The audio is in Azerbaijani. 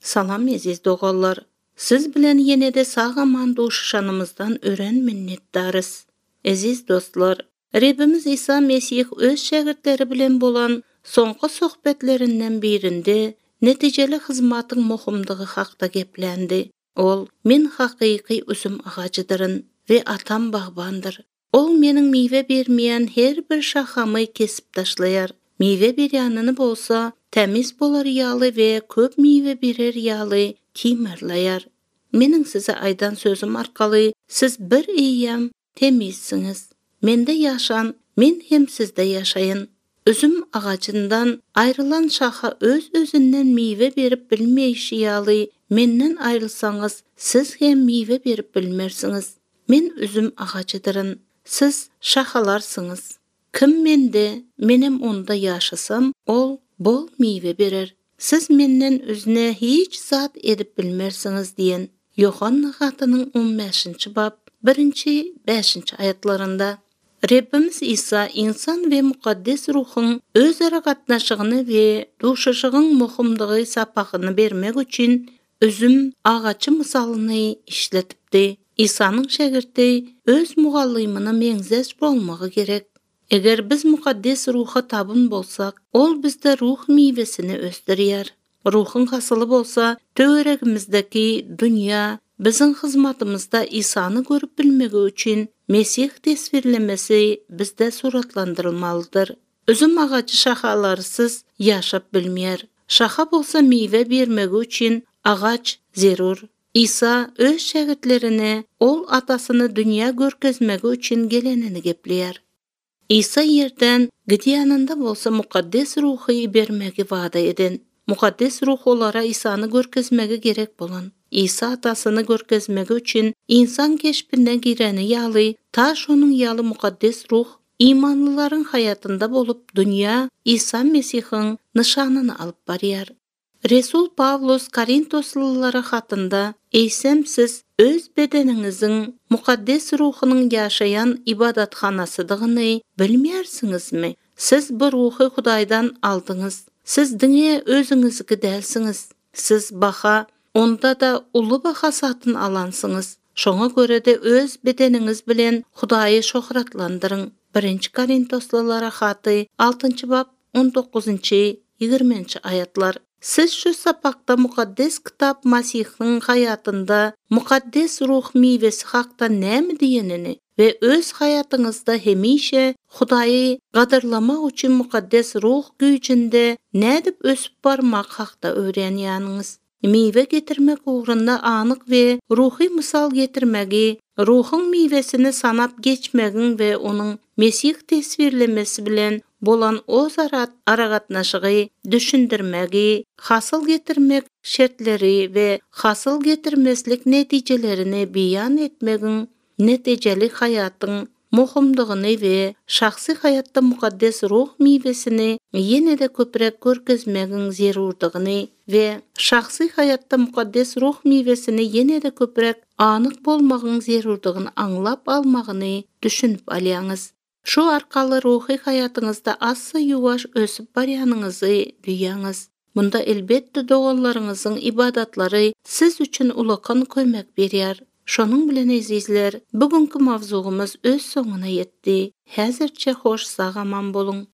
Salam eziz dogallar. Siz bilen yenede sağaman duşuşanımızdan ören minnetdarız. Eziz dostlar, Rabbimiz İsa Mesih öz şagirdleri bilen bolan soňky sohbetlerinden birinde netijeli hyzmatyň muhimdigi hakda geplendi. Ol, men hakyky üzüm agacydyryn we atam bagbandyr. Ol meniň miwe bermeýän her bir şahamy kesip taşlaýar. Miwe berýänyny bolsa, temiz bolar ýaly we köp miwe berer ýaly kimerleýär. Meniň size aýdan sözüm arkaly siz bir eýýäm temizsiňiz. Mende ýaşan, men hem sizde ýaşaýyn. Üzüm agacyndan aýrylan şaha öz özünden miwe berip bilmeýişi ýaly menden aýrylsaňyz, siz hem miwe berip bilmersiňiz. Men üzüm agacydyryn, siz şahalarsınız. Kim mende, menem onda ýaşasam, ol bol miwe berer. Siz menden üzüne hiç zat edip bilmersiňiz diýen Yohanna hatynyň 15-nji bab 1-5 aýatlarynda Rabbimiz İsa insan we mukaddes ruhyň özara gatnaşygyny we duşuşygyň muhimdigi sapagyny bermek üçin üzüm agaçy mysalyny işletipdi. İsa'nın şagirdi öz mugallymyna meňzeş bolmagy gerek. Eger biz mukaddes ruha tabyn bolsak, ol bizde ruh miwesini ösdürýär. Ruhyň hasyly bolsa, töweregimizdeki dünýä biziň hyzmatymyzda İsa'ny görüp bilmegi üçin Mesih tesvirlemesi bizde suratlandyrylmalydyr. Üzüm agacı şahalarsız ýaşap bilmeýär. Şaha bolsa miwe bermegi üçin agaç zerur. İsa öz şagirdlerine ol atasyny dünýä görkezmegi üçin gelenini gepleýär. İsa yerden gidýäninde bolsa mukaddes ruhy bermegi wada eden. Mukaddes ruh olara İsa'ny görkezmegi gerek bolan. İsa atasyny görkezmegi üçin insan keşpine gireni ýaly, taş onuň ýaly mukaddes ruh imanlılaryň hayatında bolup dünýä İsa Mesihiň nyşanyny alyp barýar. Resul Pavlus Korintoslylara hatynda "Eýsem siz öz bedeniňiziň mukaddes ruhynyň ýaşaýan ibadatxanasydygyny bilmeýärsiňizmi? Siz bu ruhy Hudaýdan aldyňyz. Siz diňe özüňizniki dälsiňiz. Siz baha, onda da uly baha satyn alansyňyz. Şoňa göre de öz bedeniňiz bilen Hudaýy şöhratlandyryn." 1 Korintoslylara haty 6-njy bab 19-20 aýatlar. Siz şu sapakda mukaddes kitap Masihiň hayatında mukaddes ruh miwesi hakda näme diýenini ve öz hayatyňyzda hemişe Hudaýy gadyrlamak üçin mukaddes ruh güýjünde nädip ösüp barmak hakda öwrenýäniňiz. Miwe getirmek ugrunda anyk we ruhy mysal getirmegi, ruhyň miwesini sanap geçmegiň we onuň Mesih tesvirlemesi bilen bolan ozara aragatnaşygy düşündirmegi, hasyl getirmek şertleri we hasyl getirmeslik netijelerini beýan etmegiň netijeli hayatyň muhimdigini we şahsy hayatda mukaddes ruh miwesini ýene-de köprek görkezmegiň zerurdygyny we şahsy hayatda mukaddes ruh miwesini ýene-de köprek anyk bolmagyň zerurdygyny aňlap almagyny düşünüp alýaňyz. Şu arkaly ruhy hayatyňyzda assa ýuwaş ösüp barýanyňyzy duýaňyz. Bunda elbetde dogallaryňyzyň ibadatlary siz üçin ulakan kömek berýär. Şonuň bilen ezizler, bugünkü mawzugymyz öz soňuna ýetdi. Häzirçe hoş sagaman bolun.